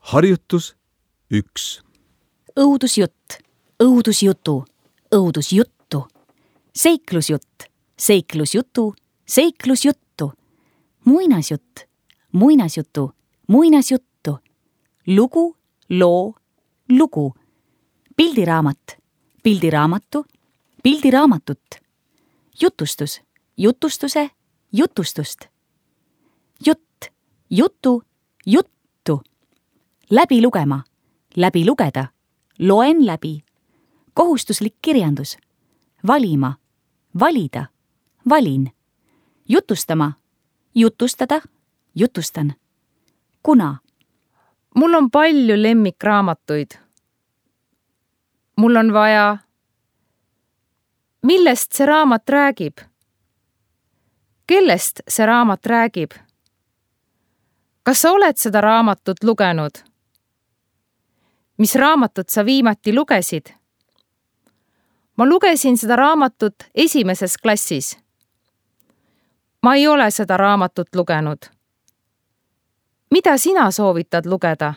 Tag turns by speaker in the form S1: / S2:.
S1: Harjutus 1.
S2: Õudusjutt, õudusjutu, õudusjuttu. Seiklusjutt, seiklusjutu, seiklusjuttu. Muinasjutt, muinasjutu, muinasjuttu. Lugu, loo, lugu. Pildiraamat, pildiraamatu, pildiraamatut. Jutustus, jutustuse, jutustust. Jutt, jutu, juttu. Läbi lugema, läbi lugeda, loen läbi. Kohustuslik kirjandus, valima, valida, valin. Jutustama, jutustada, jutustan. Kuna.
S3: Mul on palju lemmikraamatuid. Mul on vaja. Millest see raamat räägib? Kellest see raamat räägib? Kas sa oled seda raamatut lugenud? Mis raamatut sa viimati lugesid? Ma lugesin seda raamatut 1. klassis. Ma ei ole seda raamatut lugenud. Mida sina soovitad lugeda?